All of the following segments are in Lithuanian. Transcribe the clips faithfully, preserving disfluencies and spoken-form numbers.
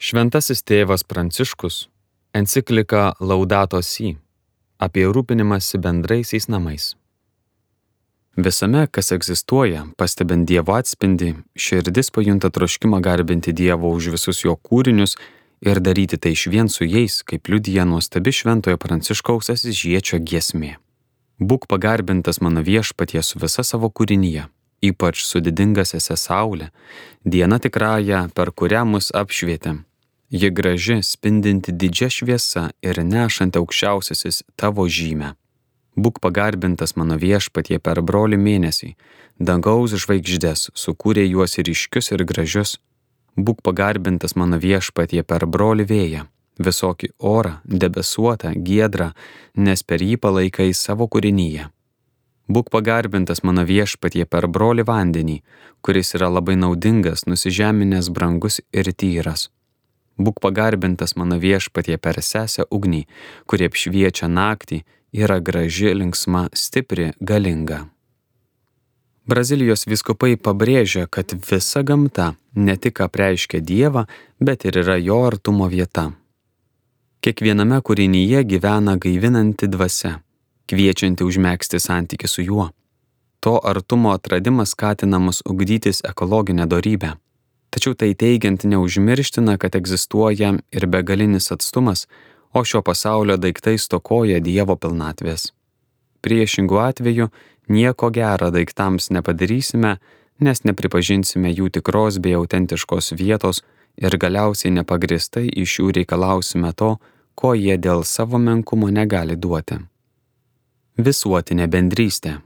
Šventasis tėvas Pranciškus enciklika Laudato Si apie rūpinimąsi bendraisiais namais. Visame, kas egzistuoja, pastebint Dievo atspindį, širdis pajunta troškimą garbinti Dievo už visus jo kūrinius ir daryti tai išvien su jais, kaip liudija nuostabi šventojo Pranciškaus Asyžiečio giesmė. Būk pagarbintas mano viešpatie su visa savo kūrinyje, ypač su didinga sese Saule, diena tikrąja, per kurią mus apšvietė. Ji graži, spindinti didžia šviesa ir nešanti aukščiausiasis tavo žymę. Būk pagarbintas mano viešpatie per brolį mėnesį, dangaus žvaigždes, sukūrė juos ryškius ir gražius. Būk pagarbintas mano viešpatie per brolį vėją, visokį orą, debesuotą, giedrą, nes per jį palaikai savo kūrinyje. Būk pagarbintas mano viešpatie per brolį vandenį, kuris yra labai naudingas, nusižeminęs, brangus ir tyras. Būk pagarbintas mano viešpatie per sesę ugnį, kuri apšviečia naktį, yra graži, linksma, stipri, galinga. Brazilijos vyskupai pabrėžia, kad visa gamta ne tik apreiškia Dievą, bet ir yra jo artumo vieta. Kiekviename kūrinyje gyvena gaivinanti dvasia, kviečianti užmegzti santykį su juo. To artumo atradimas skatina mus ugdytis ekologinę dorybę. Tačiau tai teigiant neužmirština, kad egzistuoja ir begalinis atstumas, o šio pasaulio daiktai stokoja Dievo pilnatvės. Priešingų atveju nieko gera daiktams nepadarysime, nes nepripažinsime jų tikros bei autentiškos vietos ir galiausiai nepagristai iš jų reikalausime to, ko jie dėl savo menkumo negali duoti. Visuotinė bendrystė.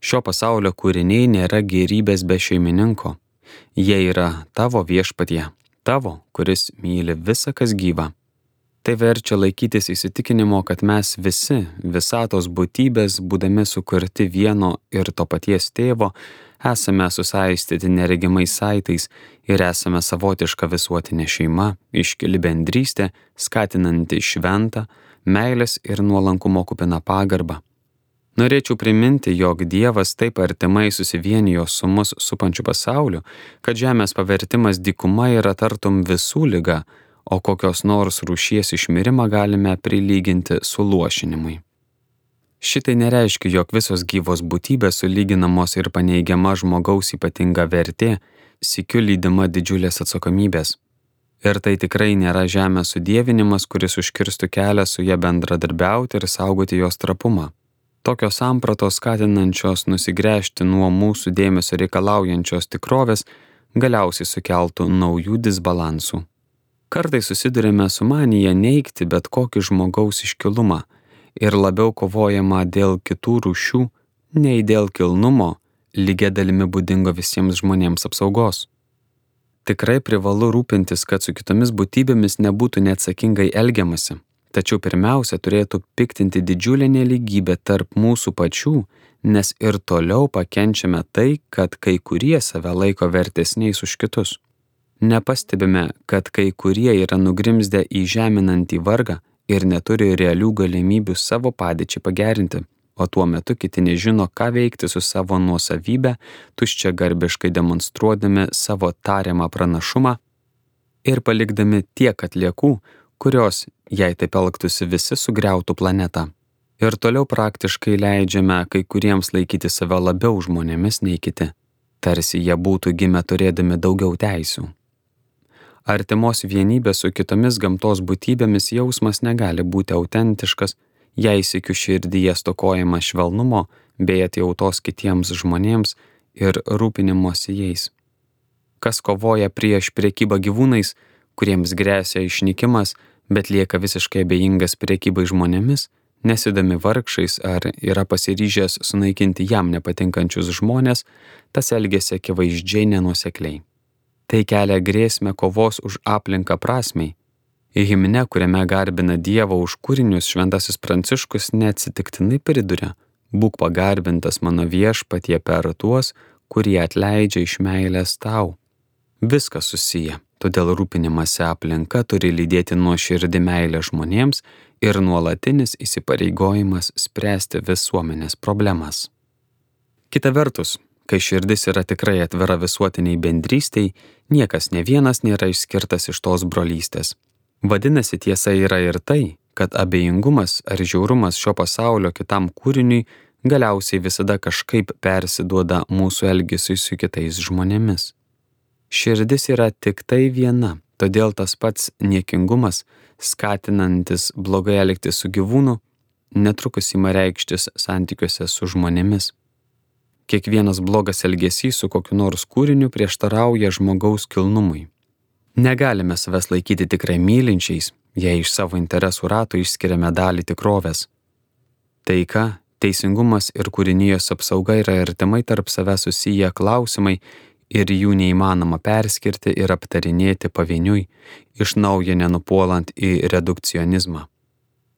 Šio pasaulio kūriniai nėra gėrybės be šeimininko. Jie yra tavo viešpatie, tavo, kuris myli visa, kas gyva. Tai verčia laikytis įsitikinimo, kad mes visi, visatos būtybės, būdami sukurti vieno ir to paties tėvo, esame susaistyti neregimais saitais ir esame savotiška visuotinė šeima, iškili bendrystė, skatinanti šventą, meilės ir nuolankumo kupiną pagarbą. Norėčiau priminti, jog Dievas taip artimai susivienijo su mus supančiu pasauliu, kad žemės pavertimas dykuma yra tartum visų liga, o kokios nors rūšies išmirimą galime prilyginti suluošinimui. Šitai nereiškia, jog visos gyvos būtybės sulyginamos ir paneigiama žmogaus ypatinga vertė, sykiu lydima didžiulės atsakomybės. Ir tai tikrai nėra žemės sudievinimas, kuris užkirstų kelią su ja bendradarbiauti ir saugoti jos trapumą. Tokios sampratos skatinančios nusigręžti nuo mūsų dėmesio reikalaujančios tikrovės galiausiai sukeltų naujų disbalansų. Kartais susidurime su manija neigti bet kokį žmogaus iškilumą ir labiau kovojama dėl kitų rūšių, nei dėl kilnumo, lygia dalimi būdingo visiems žmonėms apsaugos. Tikrai privalu rūpintis, kad su kitomis būtybėmis nebūtų neatsakingai elgiamasi. Tačiau pirmiausia turėtų piktinti didžiulė nelygybė tarp mūsų pačių, nes ir toliau pakenčiame tai, kad kai kurie save laiko vertesniais už kitus. Nepastebime, kad kai kurie yra nugrimzdę į žeminantį vargą ir neturi realių galimybių savo padėčiai pagerinti, o tuo metu kiti nežino, ką veikti su savo nuosavybę, tuščiagarbiškai demonstruodami savo tariamą pranašumą ir palikdami tiek atliekų, kurios, jei taip elgtųsi, visi sugriautų planetą. Ir toliau praktiškai leidžiame kai kuriems laikyti save labiau žmonėmis nei kiti, tarsi jie būtų gimę turėdami daugiau teisių. Artimos vienybės su kitomis gamtos būtybėmis jausmas negali būti autentiškas, jei sykiu širdyje stokojama švelnumo bei atjautos kitiems žmonėms ir rūpinimosi jais. Kas kovoja prieš prekybą gyvūnais, kuriems gresia išnykimas, bet lieka visiškai abejingas prekybai žmonėmis, nesidami vargšais ar yra pasiryžęs sunaikinti jam nepatinkančius žmonės, tas elgiasi akivaizdžiai nenuosekliai. Tai kelia grėsmę kovos už aplinką prasmei. Himne, kuriame garbina Dievą už kūrinius, šventasis Pranciškus neatsitiktinai priduria: būk pagarbintas mano viešpatie per tuos, kurie atleidžia iš meilės tau. Viskas susiję. Todėl rūpinimąsi aplinka turi lydėti nuoširdį meilę žmonėms ir nuolatinis įsipareigojimas spręsti visuomenės problemas. Kita vertus, kai širdis yra tikrai atvira visuotiniai bendrystei, niekas ne vienas nėra išskirtas iš tos brolystės. Vadinasi, tiesa yra ir tai, kad abejingumas ar žiaurumas šio pasaulio kitam kūriniui galiausiai visada kažkaip persiduoda mūsų elgesiui su kitais žmonėmis. Širdis yra tik tai viena, todėl tas pats niekingumas, skatinantis blogai elgtis su gyvūnu, netrukus ima reikštis santykiuose su žmonėmis. Kiekvienas blogas elgesys su kokiu nors kūriniu prieštarauja žmogaus kilnumui. Negalime savęs laikyti tikrai mylinčiais, jei iš savo interesų rato išskiriame dalį tikrovės. Taika, teisingumas ir kūrinijos apsauga yra artimai tarp savęs susiję klausimai ir jų neįmanoma perskirti ir aptarinėti pavieniui, iš naujo nenupuolant į redukcionizmą.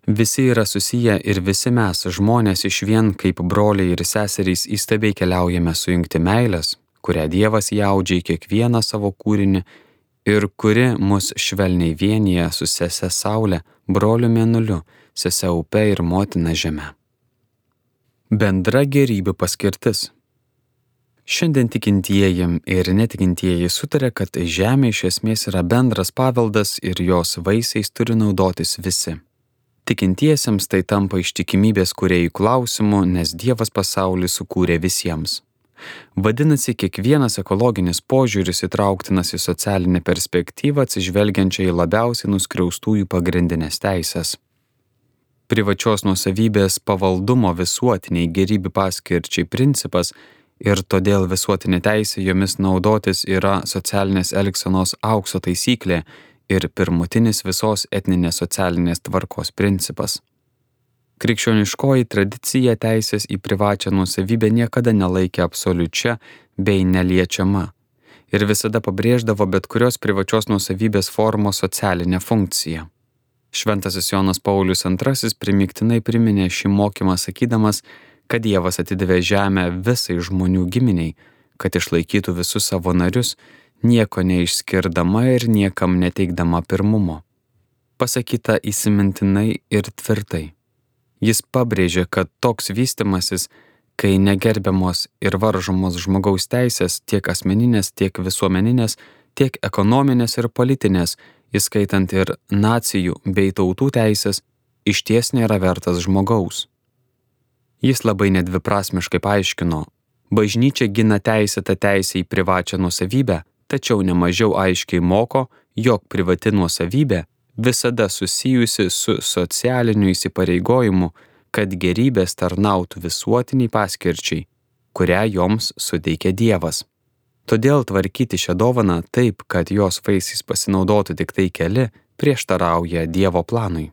Visi yra susiję ir visi mes, žmonės išvien kaip broliai ir seserys įstabiai keliaujame sujungti meilės, kurią Dievas įaudžia į kiekvieną savo kūrinį ir kuri mus švelniai vienyje su sese Saule, broliu Mėnuliu, sese Upe ir motina Žeme. Bendra gerybių paskirtis. Šiandien tikintieji ir netikintieji sutarė, kad žemė iš esmės yra bendras paveldas ir jos vaisiais turi naudotis visi. Tikintiesiems tai tampa ištikimybės kūrėjų klausimu, nes Dievas pasaulį sukūrė visiems. Vadinasi, kiekvienas ekologinis požiūris įtrauktinas į socialinę perspektyvą atsižvelgiančią į labiausiai nuskriaustųjų pagrindinės teisės. Privačios nuosavybės pavaldumo visuotiniai gerybių paskirčiai principas ir todėl visuotinė teisė jomis naudotis yra socialinės elgsenos aukso taisyklė ir pirmutinis visos etninės socialinės tvarkos principas. Krikščioniškoji tradicija teisės į privačią nuosavybę niekada nelaikė absoliučia bei neliečiama ir visada pabrėždavo bet kurios privačios nuosavybės formos socialinę funkciją. Šventasis Jonas Paulius antrasis primygtinai priminė šį mokymą sakydamas, kad Dievas atidavė žemę visai žmonių giminiai, kad išlaikytų visus savo narius, nieko neišskirdama ir niekam neteikdama pirmumo. Pasakyta įsimintinai ir tvirtai. Jis pabrėžė, kad toks vystimasis, kai negerbiamos ir varžomos žmogaus teisės tiek asmeninės, tiek visuomeninės, tiek ekonominės ir politinės, įskaitant ir nacijų bei tautų teisės, išties nėra vertas žmogaus. Jis labai nedviprasmiškai paaiškino, bažnyčia gina teisėtą teisę į privačią nuosavybę, tačiau nemažiau aiškiai moko, jog privati nuosavybė visada susijusi su socialiniu įsipareigojimu, kad gerybės tarnautų visuotiniai paskirčiai, kurią joms suteikia Dievas. Todėl tvarkyti šią dovaną taip, kad jos vaisiais pasinaudotų tik tai keli, prieštarauja Dievo planui.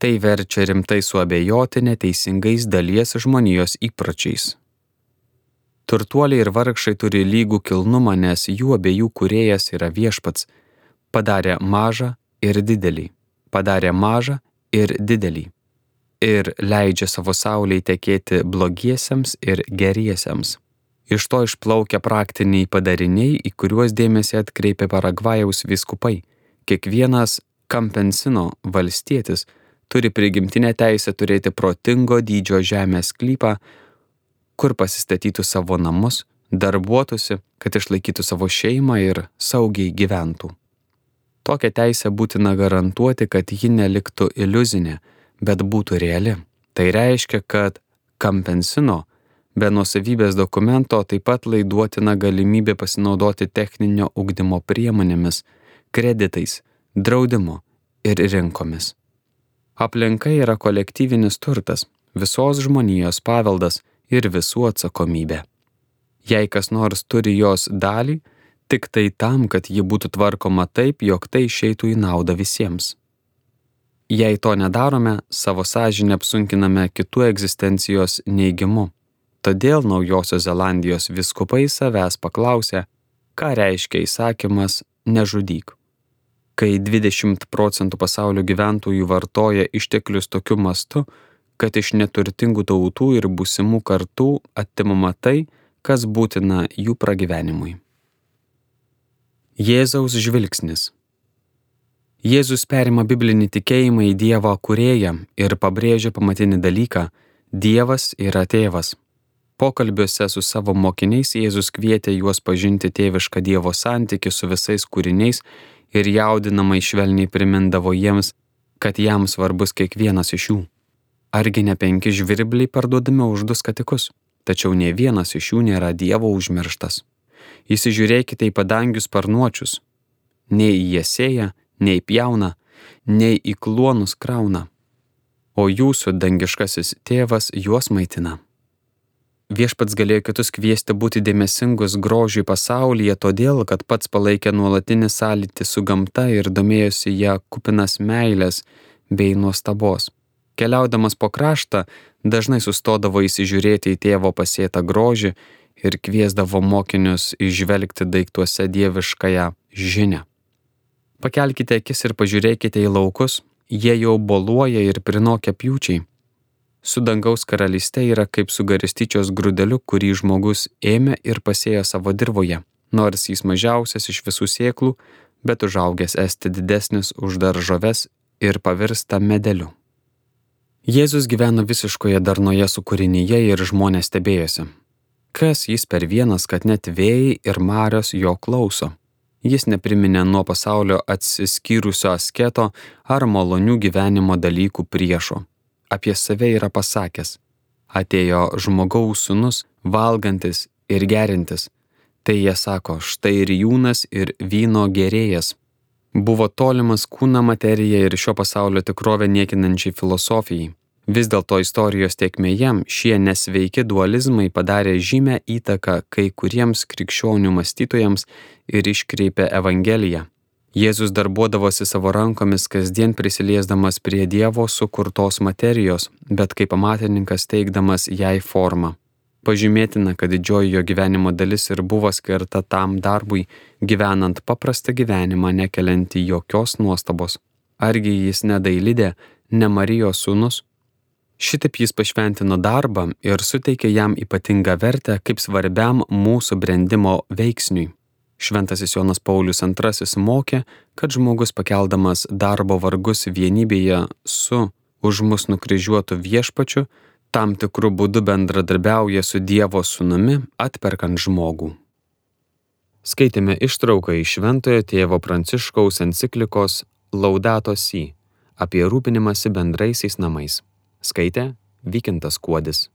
Tai verčia rimtai suabejoti neteisingais dalies žmonijos įpročiais. Turtuoliai ir vargšai turi lygų kilnumą, nes jų abiejų kūrėjas yra Viešpats, padarė mažą ir didelį, padarė mažą ir didelį, ir leidžia savo saulei tekėti blogiesiems ir geriesiems. Iš to išplaukia praktiniai padariniai, į kuriuos dėmesį atkreipė Paragvajaus vyskupai. Kiekvienas Kampensino valstietis turi prigimtinę teisę turėti protingo dydžio žemės sklypą, kur pasistatytų savo namus, darbuotųsi, kad išlaikytų savo šeimą ir saugiai gyventų. Tokią teisę būtina garantuoti, kad ji neliktų iliuzinė, bet būtų reali. Tai reiškia, kad Kampensino be nuosavybės dokumento taip pat laiduotina galimybė pasinaudoti techninio ugdymo priemonėmis, kreditais, draudimu ir rinkomis. Aplinka yra kolektyvinis turtas, visos žmonijos paveldas ir visų atsakomybė. Jei kas nors turi jos dalį, tik tai tam, kad ji būtų tvarkoma taip, jog tai išeitų į naudą visiems. Jei to nedarome, savo sąžinę apsunkiname kitų egzistencijos neigimu. Todėl Naujosios Zelandijos vyskupai savęs paklausė, ką reiškia įsakymas nežudyk. Kai dvidešimt procentų pasaulio gyventojų vartoja išteklius tokiu mastu, kad iš neturtingų tautų ir būsimų kartų atimama tai, kas būtina jų pragyvenimui. Jėzaus žvilgsnis. Jėzus perima biblinį tikėjimą į Dievą kūrėją ir pabrėžia pamatinį dalyką – Dievas yra tėvas. Pokalbiuose su savo mokiniais Jėzus kvietė juos pažinti tėvišką Dievo santykį su visais kūriniais ir jaudinamai švelniai primindavo jiems, kad jam svarbus kiekvienas iš jų. Argi ne penki žvirbliai parduodami už du skatikus, tačiau nė vienas iš jų nėra Dievo užmirštas. Įsižiūrėkite į padangių sparnuočius. Nei jie sėja, nei pjauna, nei į kluonus krauna, o jūsų dangiškasis tėvas juos maitina. Viešpats galėjo kitus kviesti būti dėmesingus grožiui pasaulyje, todėl, kad pats palaikė nuolatinį sąlytį su gamta ir domėjosi ją kupinas meilės bei nuostabos. Keliaudamas po kraštą, dažnai sustodavo įsižiūrėti į tėvo pasėtą grožį ir kviesdavo mokinius įžvelgti daiktuose dieviškąją žinią. Pakelkite akis ir pažiūrėkite į laukus, jie jau boluoja ir prinokę pjūčiai. Su dangaus karalyste yra kaip su garstyčios grūdeliu, kurį žmogus ėmė ir pasėjo savo dirvoje, nors jis mažiausias iš visų sėklų, bet užaugęs esti didesnis už daržoves ir pavirsta medeliu. Jėzus gyveno visiškoje darnoje su kūrinyje ir žmonės stebėjosi. Kas jis per vienas, kad net vėjai ir marios jo klauso? Jis nepriminė nuo pasaulio atsiskyrusio asketo ar malonių gyvenimo dalykų priešo. Apie save yra pasakęs: atėjo žmogaus sūnus, valgantis ir gerintis. Tai jie sako, štai ir rijūnas ir vyno gėrėjas. Buvo tolimas kūną materija ir šio pasaulio tikrovę niekinančiai filosofijai. Vis dėlto istorijos tėkmėje šie nesveiki dualizmai padarė žymę įtaką kai kuriems krikščionių mąstytojams ir iškreipė Evangeliją. Jėzus darbuodavosi savo rankomis kasdien prisiliesdamas prie Dievo sukurtos materijos, bet kaip amatininkas teikdamas jai formą. Pažymėtina, kad didžioji jo gyvenimo dalis ir buvo skirta tam darbui, gyvenant paprastą gyvenimą, nekeliantį jokios nuostabos. Argi jis ne Dailidė, ne Marijos sūnus? Šitaip jis pašventino darbą ir suteikė jam ypatingą vertę kaip svarbiam mūsų brendimo veiksniui. Šventasis Jonas Paulius antrasis mokė, kad žmogus pakeldamas darbo vargus vienybėje su už mus nukryžiuotu viešpačiu, tam tikrų būdų bendradarbiauja su Dievo sūnumi, atperkant žmogų. Skaitėme ištrauką iš Šventojo tėvo Pranciškaus enciklikos Laudato Si apie rūpinimąsi bendraisiais namais. Skaitė Vykintas Kuodis.